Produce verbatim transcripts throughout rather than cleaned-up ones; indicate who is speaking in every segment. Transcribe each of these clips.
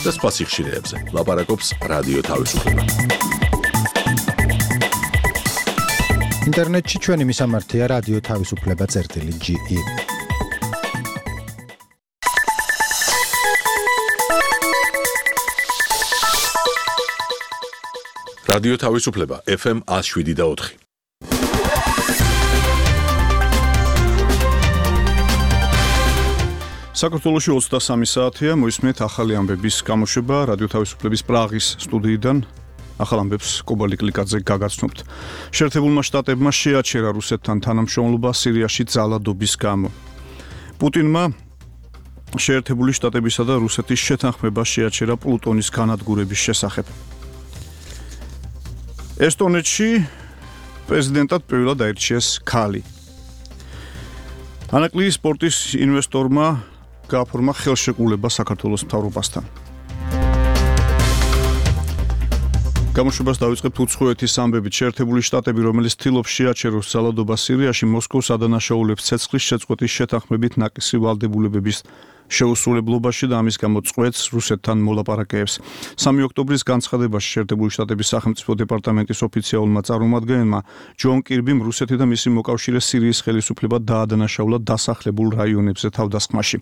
Speaker 1: და სხვა სიხშირეებზე. ლაპარაკობს რადიო თავისუფლება.
Speaker 2: ინტერნეტში ჩვენი მისამართია რადიო თავისუფლება წერტილი ჯი ი.
Speaker 1: რადიო თავისუფლება ეფ ემ ათს შვიდი და ოთხი.
Speaker 3: საქართველოში ოცდასამი საათია, მოისმენთ ახალი ამბების გამოშვება რადიო თავისუფლების პრაღის სტუდიიდან. ახალ ამბებს კობალი კლიკაძე გაგაცნობთ. შეერთებულმა შტატებმა შეაჩერა რუსეთთან თანამშრომლობა სირიაში ძალადობის გამო. პუტინმა შეერთებული შტატებისა და რუსეთის შეთანხმება შეაჩერა პლუტონის განადგურების შესახებ. ესტონეთში პრეზიდენტად პირველად აირჩიეს ქალი. ანაკლიის სპორტის ინვესტორმა გააფორმა ხელშეკრულება საქართველოს მთავრობასთან. გამოშვებას დავიწყებთ უცხოეთის ამბებით. შეერთებული შტატები, რომელიც ცდილობს შეაჩეროს ძალადობა სირიაში, მოსკოვს ადანაშაულებს ცეცხლის შეწყვეტის შეთანხმებით ნაკისრი ვალდებულებების შეუსრულებლობაში და ამის გამო წყვეტს რუსეთთან მოლაპარაკეებს. სამი ოქტომბრის განცხადებაში შეერთებული შტატების სახელმწიფო დეპარტამენტის ოფიციალურმა წარმომადგენელმა ჯონ კირბიმ რუსეთი და მისი მოკავშირე სირიის ხელისუფლება დაადანაშაულა დასახლებულ რაიონებზე თავდასხმაში.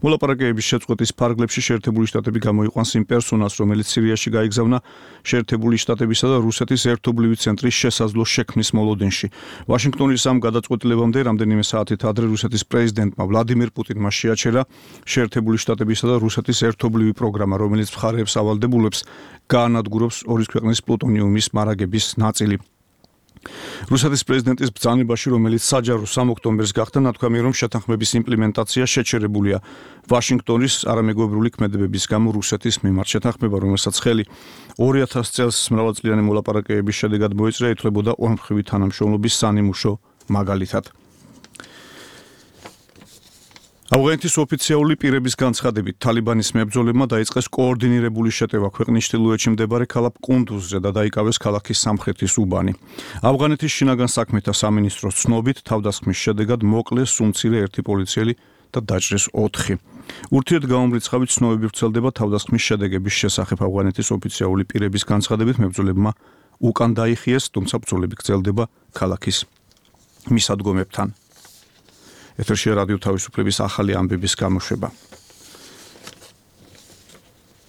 Speaker 3: მოლაპარაკეების შეწყვეტის ფარგლებში შეერთებული შტატები გამოიყვანს იმ პერსონალს, რომელიც სირიაში გაიგზავნა შეერთებული შტატებისა და რუსეთის ერთობლივი ცენტრის შესაძლო შექმნის მოლოდინში. ვაშინგტონის ამ გადაწყვეტილებამდე რამდენიმე საათით ადრე რუსეთის პრეზიდენტმა ვლადიმირ პუტინმა შეაჩერა შეერთებული შტატებისა და რუსეთის ერთობლივი პროგრამა, რომელიც მხარეებს ავალდებულებს გაანადგურებს ორი ქვეყნის პლუტონიუმის მარაგების ნაწილი. რუსეთის პრეზიდენტის ბრძანებაში, რომელიც საჯარო სამ ოქტომბერს გახდა, ნათქვამია, რომ შეთანხმების იმპლემენტაცია შეჩერებულია ვაშინგტონის არამეგობრული ქმედებების გამო რუსეთის მიმართ. შეთანხმება, რომელსაც ხელი ორი ათასი წელს მრავალწლიანი მოლაპარაკებების შედეგად მოეწია, ითვლებოდა ორმხრივი თანამშრომლობის სანიმუშო მაგალითად. ავღანეთის ოფიციალური პირების განცხადებით, თალიბანის მებრძოლებმა დაიწყეს კოორდინირებული შეტევა ქვეყნის ჩრდილოეთში მდებარე ქალაქ კუნდუზზე და დაიკავეს ქალაქის სამხრეთის უბანი. ავღანეთის შინაგან საქმეთა სამინისტროს ცნობით, თავდასხმის შედეგად მოკლეს სუმცირე ერთი პოლიციელი და დაჭრეს ოთხი. ურთიერთგამომრიცხავით ცნობები ვრცელდება თავდასხმის შედეგების შესახებ. ავღანეთის ოფიციალური პირების განცხადებით, მებრძოლებმა უკან დაიხიეს, თუმცა ბრძოლები გრძელდება ქალაქის მისადგომებთან. ეთერშია რადიო თავისუფლების ახალი ამბების გამოშვება.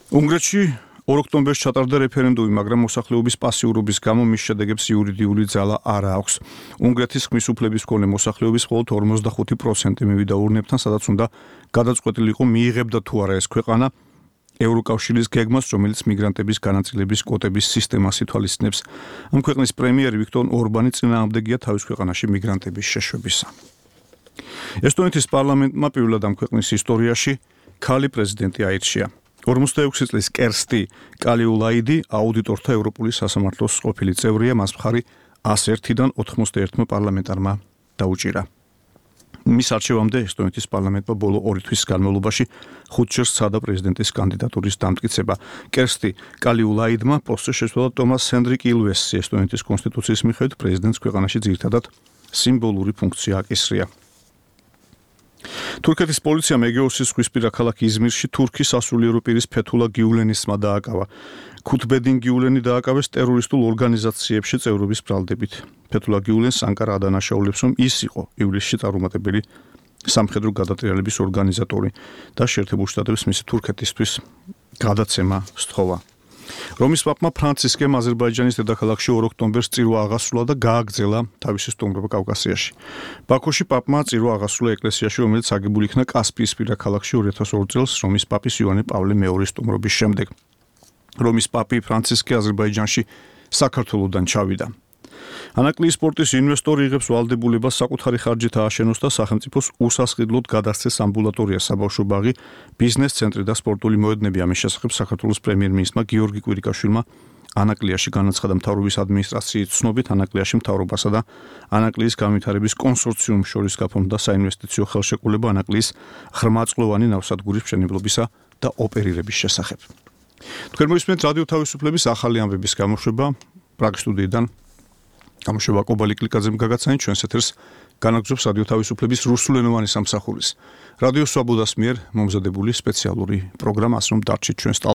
Speaker 3: უნგრეთში ორ ოქტომბერს ჩატარდა რეფერენდუმი, მაგრამ მოსახლეობის პასიურობის გამო მის შედეგებს იურიდიული ძალა არ აქვს. უნგრეთის ხმის უფლების მქონე მოსახლეობის მხოლოდ ორმოცდახუთი პროცენტი მივიდა ურნებთან, სადაც უნდა გადაწყვეტილიყო მიიღებდა თუ არა ეს ქვეყანა ევროკავშირის გეგმას, რომელიც მიგრანტების განაწილების კვოტების სისტემას ითვალისწინებს. ამ ქვეყნის პრემიერი ვიქტორ ორბანი წინააღმდეგია თავის ქვეყანაში მიგრანტების შეშვებისა. ესტონეთის პარლამენტმა პირველად ამ ქვეყნის ისტორიაში ქალი პრეზიდენტი აირჩია. ორმოცდაექვსი წლის კერსტი კალიულაიდი აუდიტორთა ევროპული სასამართლოს ყოფილი წევრია, მას მხარი ას ერთიდან ოთხმოცდაერთმა პარლამენტარმა დაუჭირა. მის არჩევამდე ესტონეთის პარლამენტმა ბოლო ორი თვის განმავლობაში ხუთჯერ სცადა პრეზიდენტის კანდიდატურის დამტკიცება. კერსტი კალიულაიდმა პოსტზე შეცვალა ტომას ჰენდრიკ ილვესი. ესტონეთის კონსტიტუციის მიხედვით პრეზიდენტს ქვეყანაში ძირითადად სიმბოლური ფუნქცია აკისრია. თურქეთის პოლიციამ ეგეოსის ზღვისპირა ქალაქ იზმირში თურქის სასულიერო პირის ფეთულა გიულენისმა დააკავა. ქუთბედინ გიულენი დააკავეს ტერორისტულ ორგანიზაციებში წევრობის ბრალდებით. ფეთულა გიულენს ანკარა ადანაშაულებს, რომ ის იყო ივლისში წარუმატებელი სამხედრო გადატრიალების ორგანიზატორი და შეერთებულ შტატებს მისი თურქეთისთვის გადაცემა სთხოვა. რომის პაპმა ფრანცისკემ აზერბაიჯანის დედაქალაქში ორ ოქტომბერს წირვა აღასრულა და გააგრძელა თავისი სტუმრობა კავკასიაში. ბაქოში პაპმა წირვა აღასრულა ეკლესიაში, რომელიც აგებული იქნა კასპიისპირა ქალაქში ორი ათას ორი წელს რომის პაპის იოანე პავლე მეორის სტუმრობის შემდეგ. რომის პაპი ფრანცისკე აზერბაიჯანში საქართველოდან ჩავიდა. ანაკლიის სპორტის ინვესტორი იღებს ვალდებულებას საკუთარი ხარჯით ააშენოს და სახელმწიფოს უსასყიდლოდ გადასცეს ამბულატორია, საბავშვო ბაღი, ბიზნეს ცენტრი და სპორტული მოედნები. ამის შესახებ საქართველოს პრემიერ-მინისტრმა გიორგი კვირიკაშვილმა ანაკლიაში განაცხადა. მთავრობის ადმინისტრაციის ცნობით, ანაკლიაში მთავრობასა და ანაკლიის განვითარების კონსორციუმს შორის გაფორმდა საინვესტიციო ხელშეკრულება ანაკლიის ღრმაწყლოვანი ნავსადგურის მშენებლობისა და ოპერირების შესახებ. თქვენ მოისმენთ რადიო თავისუფლების ახალი ამბების გამოშვება პრაღის სტუდიიდან. გამოშვება კობალი კლიკაძემ გაგაცანით, ჩვენს ეთერს განაგრძობს რადიო თავისუფლების რუსულენოვანი სამსახურის რადიო სვაბოდას მიერ მომზადებული სპეციალური პროგრამა, ასე რომ დარჩით ჩვენს